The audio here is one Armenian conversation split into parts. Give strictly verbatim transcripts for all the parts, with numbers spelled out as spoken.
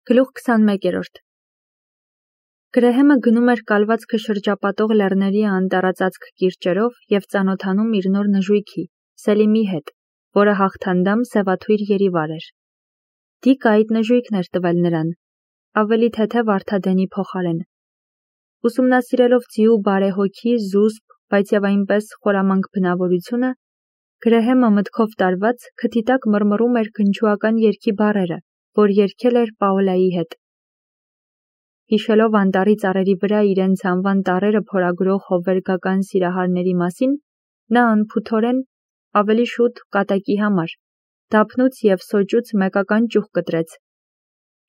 Գլուխ քսանմեկերորդ Գրեհեմը գնում էր կալվածքը շրջապատող լեռների անտառածածկ կիրճերով և ծանոթանում իր նոր նժույգի, Սելիմի հետ, որը հաղթանդամ սևաթույր երիվար էր։ Դիկը այդ նժույգն էր տվել նրան, ավելի թեթև Արթադենի փոխարեն։ Ուսումնասիրելով ձիու բարեհոգի, զուսպ, բայց և այնպես խորամանկ բնավորությունը, Գրեհեմը մտքով տարված քթի տակ մռմռում էր քնչուական երգի բառերը, որ երգել էր Պաոլայի հետ։ Հիշելով անտառի ծառերի վրա իրենց անվան տառերը փորագրող հովվերգական սիրահարների մասին, նա անփութորեն, ավելի շուտ կատակի համար, դափնուց և սոճուց մեկական ճյուղ կտրեց։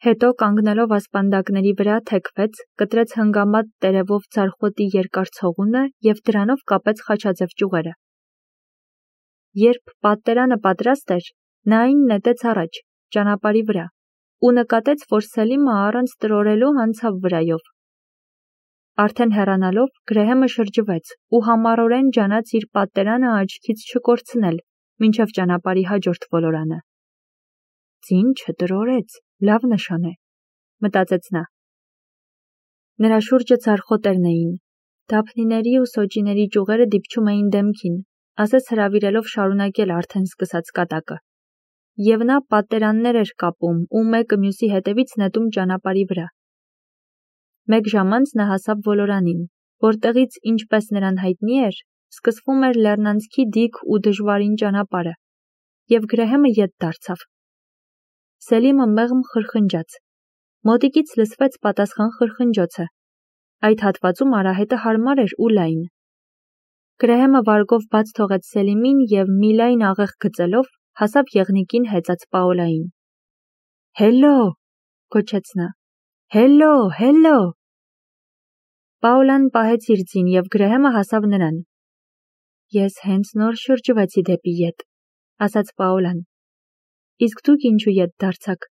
Հետո կանգնելով ասպանդակների վրա թեքվեց, կտրեց հնգամատ տերևով ձարխոտի երկար ցողունը և դրանով կապեց խաչաձև ճյուղերը։ Երբ պատտերանը պատրաստ էր, նա այն նետեց առաջ, ճանապարհի վրա, ու նկատեց, որ Սելիմը առանց տրորելու անցավ վրայով։ Արդեն հեռանալով, Գրեհեմը շրջվեց ու համառորեն ջանաց իր պատտերանը աչքից չկորցնել, մինչև ճանապարհի հաջորդ ոլորանը։ Ձին չտրորեց, լավ նշան է, մտածեց նա։ Նրա շուրջը ձարխոտերն էին, դափնիների ու սոճիների ճյուղերը դիպչում էին դեմքին, ասես հրավիրելով շարունակել արդեն սկսած կատակը։ Եվ նա պատտերաններ էր կապում ու մեկը մյուսի հետևից նետում ճանապարհի վրա։ Մեկ ժամ անց նա հասավ ոլորանին, որտեղից, ինչպես նրան հայտնի էր, սկսվում էր լեռնանցքի դիք ու դժվարին ճանապարհը, և Գրեհեմը ետ դարձավ։ Սելիմը մեղմ խրխնջաց։ Մոտիկից լսվեց պատասխան խրխնջոցը։ Այդ հատվածում արահետը հարմար էր ու լայն։ Գրեհեմը վարգով բաց թողեց Սելիմին և մի լայն աղեղ գծելով հասավ եղնիկին հեծած Պաոլային։ Հելո, գոչեց նա, հելո, հելո։ Պաոլան պահեց իր ձին և Գրեհեմը հասավ նրան։ Ես հենց նոր շրջվեցի դեպի ետ, ասաց Պաոլան։ Իսկ դուք ինչու ետ դարձաք։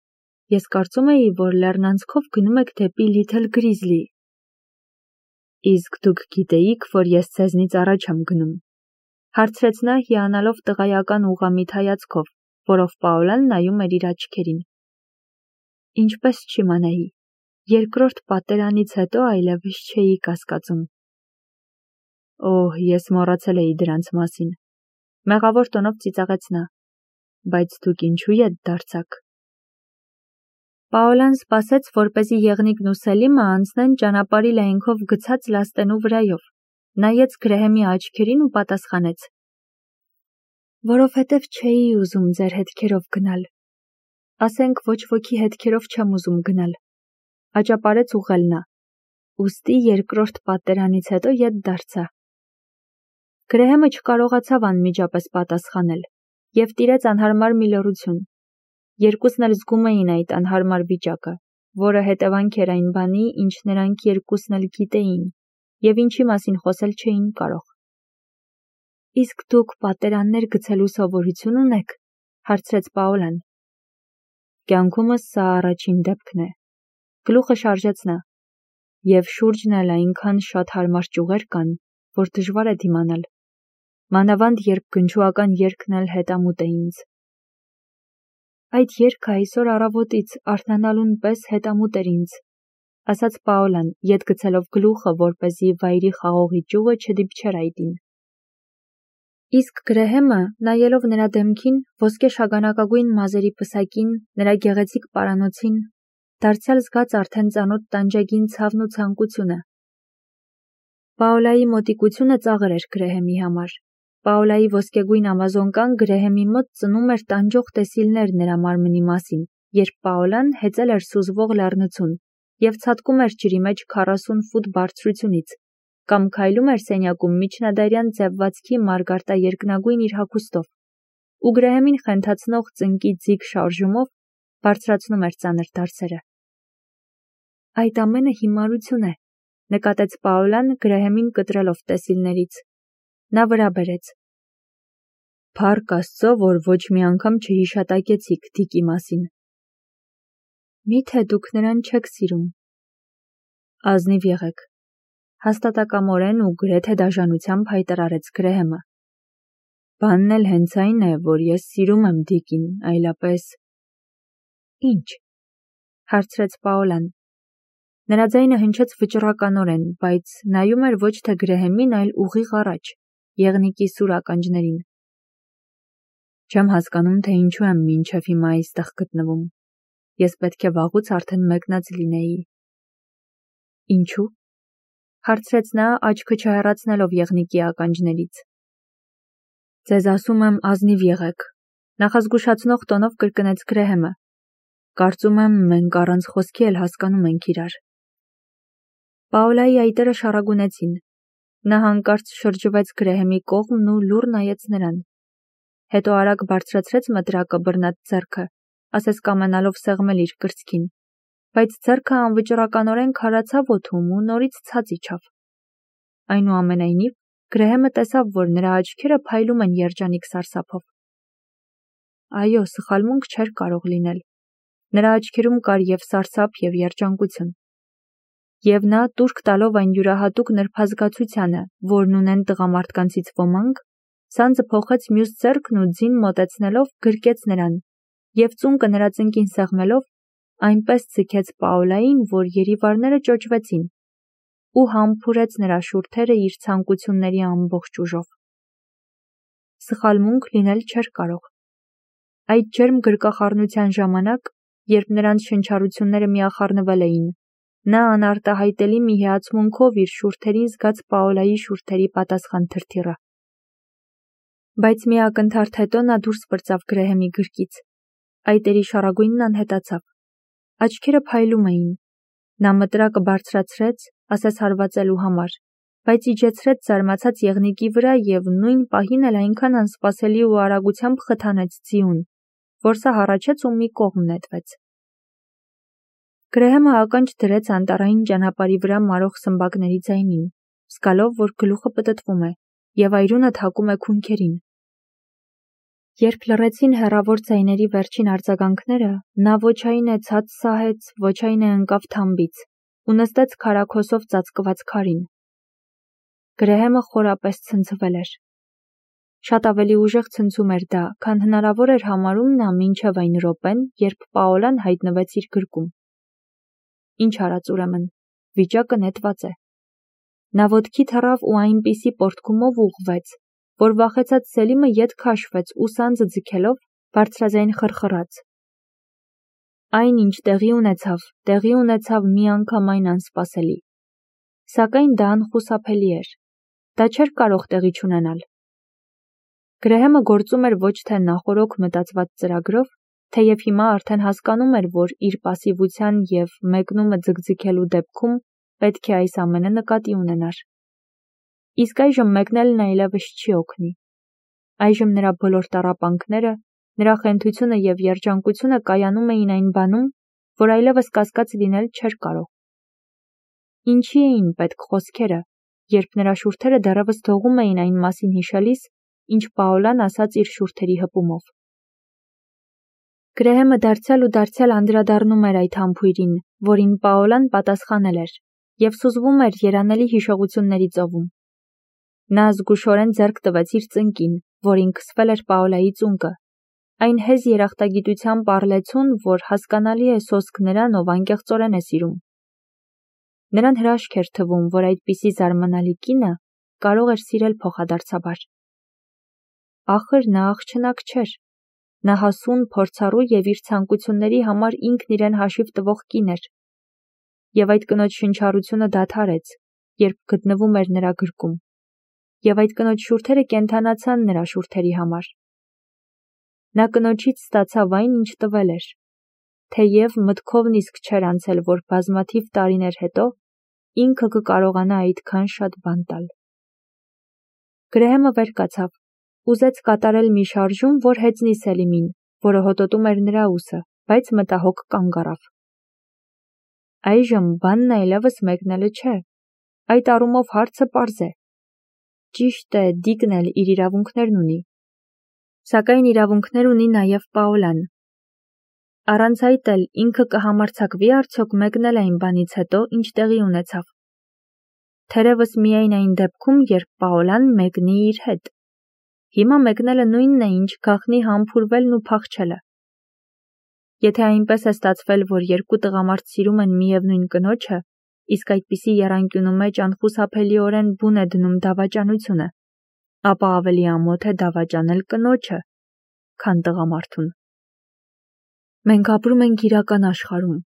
Ես կարծում էի, որ լեռնանցքով գնում եք դեպի Լիթլ Գրիզլի։ Իսկ դուք գիտեիք, որ ես ձեզնից առաջ եմ գնում, հարցրեց նա հիանալով տղայական ուղղամիտ հայացքով, որով Պաոլան նայում էր իր աչքերին։ Ինչպես չիմանայի, երկրորդ պատտերանից հետո այլևս չէի կասկածում։ Օհ, ես մոռացել էի դրանց մասին, մեղավոր տոնով ծիծաղեց նա, բայց դուք ինչու ետ դարձաք։ Պաոլան սպասեց, որպեսզի եղնիկն ու Սելիմը անցնեն ճանապարհի լայնքով գցած լաստենու վրայով, նայեց Գրեհեմի աչքերին ու պատասխանեց. Որովհետև չէի ուզում ձեր հետքերով գնալ։ Ասենք ոչ ոքի հետքերով չեմ ուզում գնալ, աճապարեց ուղղել նա, ուստի երկրորդ պատտերանից հետո ետ դարձա։ Գրեհեմը չկարողացավ անմիջապես պատասխանել և տիրեց անհարմար մի լռություն։ Երկուսն էլ զգում էին այդ անհարմար վիճակը, որը հետևանք էր այն բանի, ինչ նրանք երկուսն էլ գիտեին, և ինչի մասին խոսել չէին կարող։ Իսկ դուք պատտերաններ գցելու սովորություն ունեք, հարցրեց Պաոլան։ Կյանքումս սա առաջին դեպքն է, գլուխը շարժեց նա, և շուրջն էլ այնքան շատ հարմար ճյուղեր կան, որ դժվար է դիմանալ, մանավանդ երբ գնչուական երգն էլ հետամուտ է ինձ։ Այդ երգը այսօր առավոտից արթնանալուն պես հետամուտ էր ինձ, ասաց Պաոլան, ետ գցելով գլուխը, որպեսզի վայրի խաղողի ճյուղը չդիպչեր այդին։ Իսկ Գրեհեմը, նայելով նրա դեմքին, ոսկե շագանակագույն մազերի պսակին, նրա գեղեցիկ պարանոցին, դարձյալ զգաց արդեն ծանոթ տանջագին ցավն ու ցանկությունը։ Պաոլայի մոտիկությունը ծաղր էր Գրեհեմի համար։ Պաոլայի ոսկեգույն ամազոնկան Գրեհեմի մոտ ծնում էր տանջող տեսիլներ նրա մարմնի մասին, երբ Պաոլան հեծել էր սուզվող լեռնցուն և ցատկում էր ջրի մեջ քառասուն ֆուտ բարձրությունից, կամ քայլում էր սենյակում միջնադարյան ձևվածքի մարգարտաերկնագույն իր հագուստով, ու Գրեհեմին խենթացնող ծնկի ձիգ շարժումով բարձրացնում էր ծանր դարսերը։ Այդ ամենը հիմարություն է, նկատեց Պաոլան Գրեհեմին կտրելով տեսիլներից։ Նա վրա բերեց։ Փառք Աստծո, որ ոչ մի անգամ չհիշատակեցիք Դիկի մասին։ Միթե դուք նրան չեք սիրում։ Ազնիվ եղեք, հաստատակամորեն ու գրեթե դաժանությամբ հայտարարեց Գրեհեմը։ Բանն էլ հենց այն է, որ ես սիրում եմ Դիկին, այլապես… Ինչ։ հարցրեց Պաոլան։ Նրա ձայնը հնչեց վճռականորեն, բայց նայում էր ոչ թե Գրեհեմին, այլ ուղիղ առաջ, եղնիկի սուր ականջներին։ Չեմ հասկանում, թե ինչու եմ մինչև հիմա այստեղ գտնվում։ Ես պետք է վաղուց արդեն մեկնած լինեի։ Ինչու՞։ Հարցրեց նա, աչքը չհեռացնելով եղնիկի ականջներից։ Ձեզ ասում եմ, ազնիվ եղեք, նախազգուշացնող տոնով կրկնեց Գրեհեմը։ Կարծում եմ, մենք առանց խոսքի էլ հասկանում ենք իրար։ Պաոլայի այտերը շարագունեցին։ Նա հանկարծ շրջվեց Գրեհեմի կողմն ու լուռ նայեց նրան։ Հետո արագ բարձրացրեց մտրակը բռնած ձեռքը, ասես կամենալով սեղմել իր կրծքին, բայց ձեռքը անվճռականորեն քարացավ օդում ու նորից ցած իջավ։ Այնուամենայնիվ, Գրեհեմը տեսավ, որ նրա աչքերը փայլում են երջանիկ սարսափով։ Այո, սխալմունք չէր կարող լինել։ Նրա աչքերում կար և սարսափ, և երջանկություն։ Եվ նա, տուրք տալով այն յուրահատուկ նրբազգացությանը, որն ունեն տղամարդկանցից ոմանք, սանձը փոխեց մյուս ձեռքն ու ձին մոտեցնելով գրկեց նրան, և ծունկը նրա ծնկին սեղմելով, այնպես ձգեց Պաոլային, որ երիվարները ճոճվեցին, ու համբուրեց նրա շուրթերը իր ցանկությունների ամբողջ ուժով։ Սխալմունք լինել չէր կարող։ Այդ ջերմ գրկախառնության ժամանակ, երբ նրանց շնչառությունները միախառնվել էին, նա անարտահայտելի մի հիացմունքով իր շուրթերին զգաց Պաոլայի շուրթերի պատասխան թրթիռը։ Բայց մի ակնթարթ հետո նա դուրս պրծավ Գրեհեմի գրկից։ Այտերի շարագույնն անհետացավ։ Աչքերը փայլում էին։ Նա մտրակը բարձրացրեց, ասես հարվածելու համար, բայց իջեցրեց զարմացած եղնիկի վրա և նույն պահին էլ այնքան անսպասելի ու արագությամբ խթանեց ձիուն, որ սա հառաչեց ու մի կողմ նետվեց։ Գրեհեմը ականջ դրեց անտառային ճանապարհի վրա մարող սմբակների ձայնին, զգալով, որ գլուխը պտտվում է, և այրունը թակում է քունքերին։ Երբ լռեցին հեռավոր ձայների վերջին արձագանքները, նա ոչ այն է ցած սահեց, ոչ այն է ընկավ թամբից ու նստեց քարաքոսով ծածկված քարին։ Գրեհեմը խորապես ցնցվել էր։ Շատ ավելի ուժեղ ցնցում էր դա, քան հնարավոր էր համարում նա մինչև այն րոպեն, երբ Պաոլան հայտնվեց իր գրկում։ Ինչ արած ուրեմն, վիճակը նետված է։ Նա ոտքի թռավ ու այնպիսի պոռթկումով ուղղվեց, որ վախեցած Սելիմը ետ քաշվեց ու սանձը ձգելով բարձրաձայն խռխռաց։ Այն, ինչ տեղի ունեցավ, տեղի ունեցավ միանգամայն անսպասելի։ Սակայն դա անխուսափելի էր։ Դա չէր կարող տեղի չունենալ։ Գրեհեմը գործում էր ոչ թե նախօրոք մտածված ծրագրով, թեև հիմա արդեն հասկանում էր, որ իր պասիվության և մեկնումը ձգձգելու դեպքում պետք է այս ամենը նկատի ունենար։ Իսկ այժմ մեկնելն այլևս չի օգնի։ Այժմ նրա բոլոր տառապանքները, նրա խենթությունը և երջանկությունը կայանում էին այն բանում, որ այլևս կասկած լինել չէր կարող։ Ինչի էին պետք խոսքերը, երբ նրա շուրթերը դեռևս դողում էին այն մասին հիշելիս, ինչ Պաոլան ասաց իր շուրթերի հպումով։ Գրեհեմը դարձյալ ու դարձյալ անդրադառնում էր այդ համբույրին, որին Պաոլան պատասխանել էր, և սուզվում էր երանելի հիշողությունների ծովում։ Նա զգուշորեն ձեռք տվեց իր ծնկին, որին քսվել էր Պաոլայի ծունկը, այն հեզ երախտագիտությամբ առլեցուն, որ հասկանալի է սոսկ նրան, ով անկեղծորեն է սիրում։ Նրան հրաշք էր թվում, որ այդպիսի զարմանալի կինը կարող էր սիրել փոխադարձաբար։ Ախր նա աղջնակ չէր։ Նա հասուն, փորձառու և իր ցանկությունների համար ինքն իրեն հաշիվ տվող կին էր։ Եվ այդ կնոջ շնչառությունը դադարեց, երբ գտնվում էր նրա գրկում, և այդ կնոջ շուրթերը կենդանացան նրա շուրթերի համար։ Նա կնոջից ստացավ այն, ինչ տվել էր, թեև մտքովն իսկ չէր անցել, որ բազմաթիվ տարիներ հետո ինքը կկարողանա այդքան շատ բան տալ։ Գրեհեմը վեր կացավ, ուզեց կատարել մի շարժում, որ հեծնի Սելիմին, որը հոտոտում էր նրա ուսը, բայց մտահոգ կանգ առավ։ Այժմ բանն այլևս մեկնելը չէ։ Այդ առումով հարցը պարզ է։ Ճիշտ է, Դիկն էլ իր իրավունքներն ունի։ Սակայն իրավունքներ ունի նաև Պաոլան։ Առանց այդ էլ ինքը կհամարձակվի արդյոք մեկնել այն բանից հետո, ինչ տեղի ունեցավ։ Թերևս միայն այն դեպքում, երբ Պաոլան մեկնի իր հետ։ Հիմա մեկնելը նույնն է, ինչ գաղտնի համբուրվելն ու փախչելը։ Եթե այնպես է ստացվել, որ երկու տղամարդ սիրում են միևնույն կնոջը, իսկ այդպիսի եռանկյունու մեջ անխուսափելիորեն բուն է դնում դավաճանությունը, ապա ավելի ամոթ է դավաճանել կնոջը, քան տղամարդուն։ Մենք ապրում ենք իրական աշխարհում,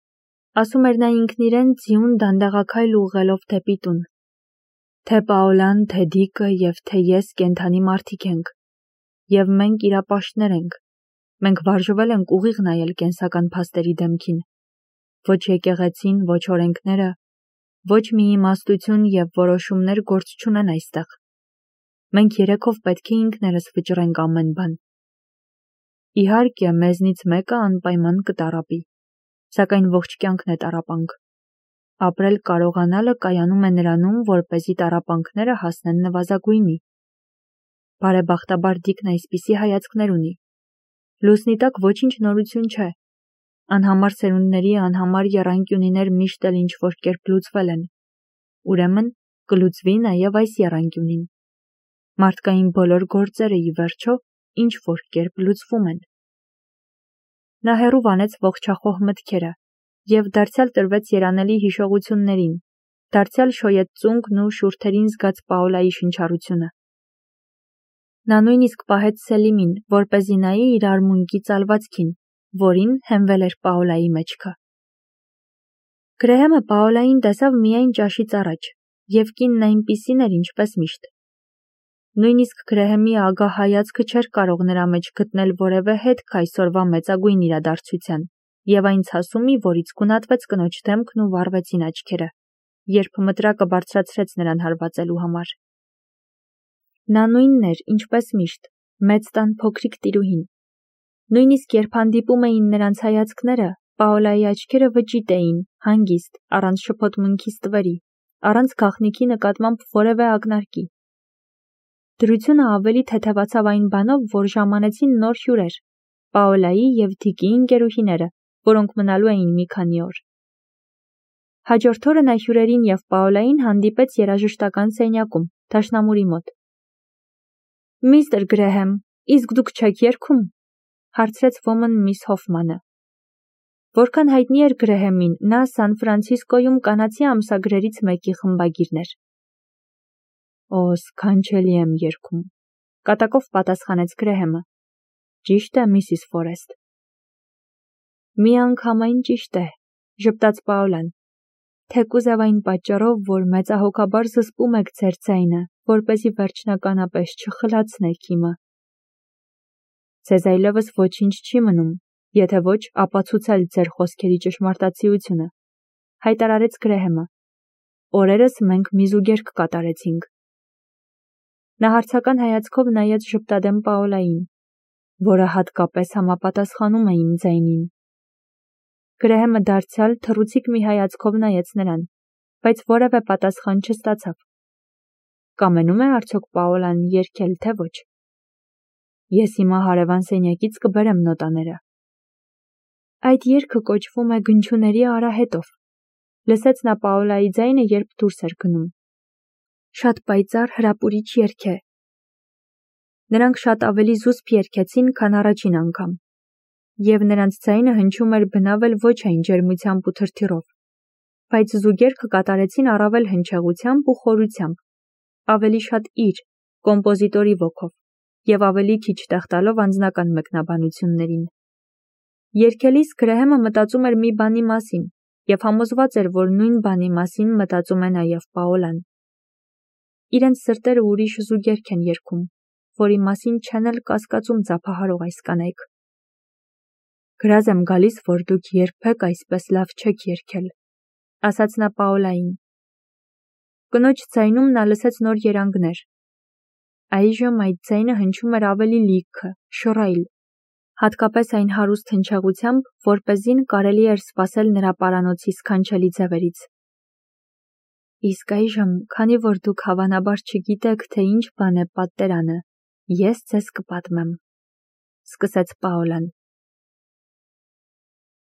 ասում էր նա ինքն իրեն ձիուն դանդաղաքայլ ուղղելով դեպի տուն։ Թե Պաոլան, թե Դիկը և թե ես կենդանի մարդիկ ենք, և մենք իրապաշտներ ենք։ Մենք վարժվել ենք ուղիղ նայել կենսական փաստերի դեմքին։ Ոչ եկեղեցին, ոչ օրենքները, ոչ մի իմաստություն և որոշումներ գործ չունեն այստեղ։ Մենք երեքով պետք է ինքներս վճռենք ամեն բան։ Իհարկե, մեզնից մեկը անպայման կտառապի, սակայն ողջ կյանքն է տառապանք։ Ապրել կարողանալը կայանում է նրանում, որպեսզի տառապանքները հասնեն նվազագույնի։ Բարեբախտաբար Դիկն այսպիսի հայացքներ ունի։ Լուսնի տակ ոչինչ նորություն չէ։ Անհամար սերունդների անհամար եռանկյունիներ միշտ էլ ինչ-որ կերպ լուծվել են։ Ուրեմն կլուծվի նաև այս եռանկյունին։ Մարդկային բոլոր գործերը ի վերջո ինչ-որ կերպ լուծվում են։ Նա հեռու վանեց ողջախոհ մտքերը և դարձյալ տրվեց երանելի հիշողություններին, դարձյալ շոյեց ծունկն ու շուրթերին զգաց Պաոլայի շնչառությունը։ Նա նույնիսկ պահեց Սելիմին, որպեսզի նայի իր արմունկի ծալվածքին, որին հենվել էր Պաոլայի մեջքը։ Գրեհեմը Պաոլային տեսավ միայն ճաշից առաջ, և կինն այնպիսին էր, ինչպես միշտ։ Նույնիսկ Գրեհեմի ագահ հայացքը չէր կարող նրա մեջ գտնել որևէ հետք այսօրվա մեծագույն իրադարձության, և այն ցասումի, որից գունատվեց կնոջ դեմքն ու վառվեցին աչքերը, երբ մտրակը բարձրացրեց նրան հարվածելու համար։ Նա նույնն էր, ինչպես միշտ, մեծ տան փոքրիկ տիրուհին։ Նույնիսկ երբ հանդիպում էին նրանց հայացքները, Պաոլայի աչքերը վճիտ էին, հանգիստ, առանց շփոթմունքի ստվերի, առանց գաղտնիքի նկատմամբ որևէ ակնարկի։ Դրությունը ավելի թեթևացավ այն բանով, որ ժամանեցին նոր հյուրեր՝ Պաոլայի և Դիկի ընկերուհիները, որոնք մնալու էին մի քանի օր։ Հաջորդ օրը նա հյուրերին և Պաոլային հանդիպեց երաժշտական սենյակում, դաշնամուրի մոտ։ «Միստր Գրեհեմ, իսկ դուք չեք երգում», հարցրեց ոմն միս Հոֆմանը։ Որքան հայտնի էր Գրեհեմին, նա Սան Ֆրանցիսկոյում կանացի ամսագրերից մեկի խմբագիրն էր։ «Օ, սքանչելի եմ երգում», կատակով պատասխանեց Գրեհեմը։ «Ճիշտ է, միսիս Ֆորեստ»։ «Միանգամայն ճիշտ է», ժպտաց Պաոլան, թեկուզև այն պատճառով, որ մեծահոգաբար զսպում եք ձեր ձայնը, որպեսզի վերջնականապես չխլացնեք իմը։ Ձեզ այլևս ոչինչ չի մնում, եթե ոչ ապացուցել ձեր խոսքերի ճշմարտացիությունը, հայտարարեց Գրեհեմը։ Օրերս մենք մի զուգերգ կատարեցինք։ Նա հարցական հայացքով նայեց ժպտադեմ Պաոլային, որը հատկապես համապատասխանում է իմ ձայնին։ Գրեհեմը դարձյալ թռուցիկ մի հայացքով նայեց նրան, բայց որևէ պատասխան չստացավ։ Կամենում է արդյոք Պաոլան երգել, թե ոչ։ Ես հիմա հարևան սենյակից կբերեմ նոտաները։ Այդ երգը կոչվում է Գնչուների արահետով, լսեց նա Պաոլայի ձայնը, երբ դուրս էր գնում։ Շատ պայծառ հրապուրիչ երգ է։ Նրանք շատ ավելի զուսպ երգեցին, քան առաջին անգամ, և նրանց ձայնը հնչում էր բնավ էլ ոչ այն ջերմությամբ ու թրթիռով, բայց զուգերգը կատարեցին առավել հնչեղությամբ ու խորությամբ, ավելի շատ իր, կոմպոզիտորի ոգով, և ավելի քիչ տեղ տալով անձնական մեկնաբանություններին։ Երգելիս Գրեհեմը մտածում էր մի բանի մասին և համոզված էր, որ նույն բանի մասին մտածում է նաև Պաոլան։ Իրենց սրտերը ուրիշ զուգերգ են երգում, որի մասին չեն էլ կասկածում ծափահարող այս կանայք։ Գրազ եմ գալիս, որ դուք երբեք այսպես լավ չեք երգել, ասաց նա Պաոլային։ Կնոջ ձայնում նա լսեց նոր երանգներ։ Այժմ այդ ձայնը հնչում էր ավելի լիքը, շռայլ, հատկապես այն հարուստ հնչեղությամբ, որպեսզին կարելի էր սպասել նրա պարանոցի սքանչելի ձևերից։ Իսկ այժմ, քանի որ դուք հավանաբար չգիտեք, թե ինչ բան է պատերանը, ես ձեզ կպատմեմ, սկսեց Պաոլան։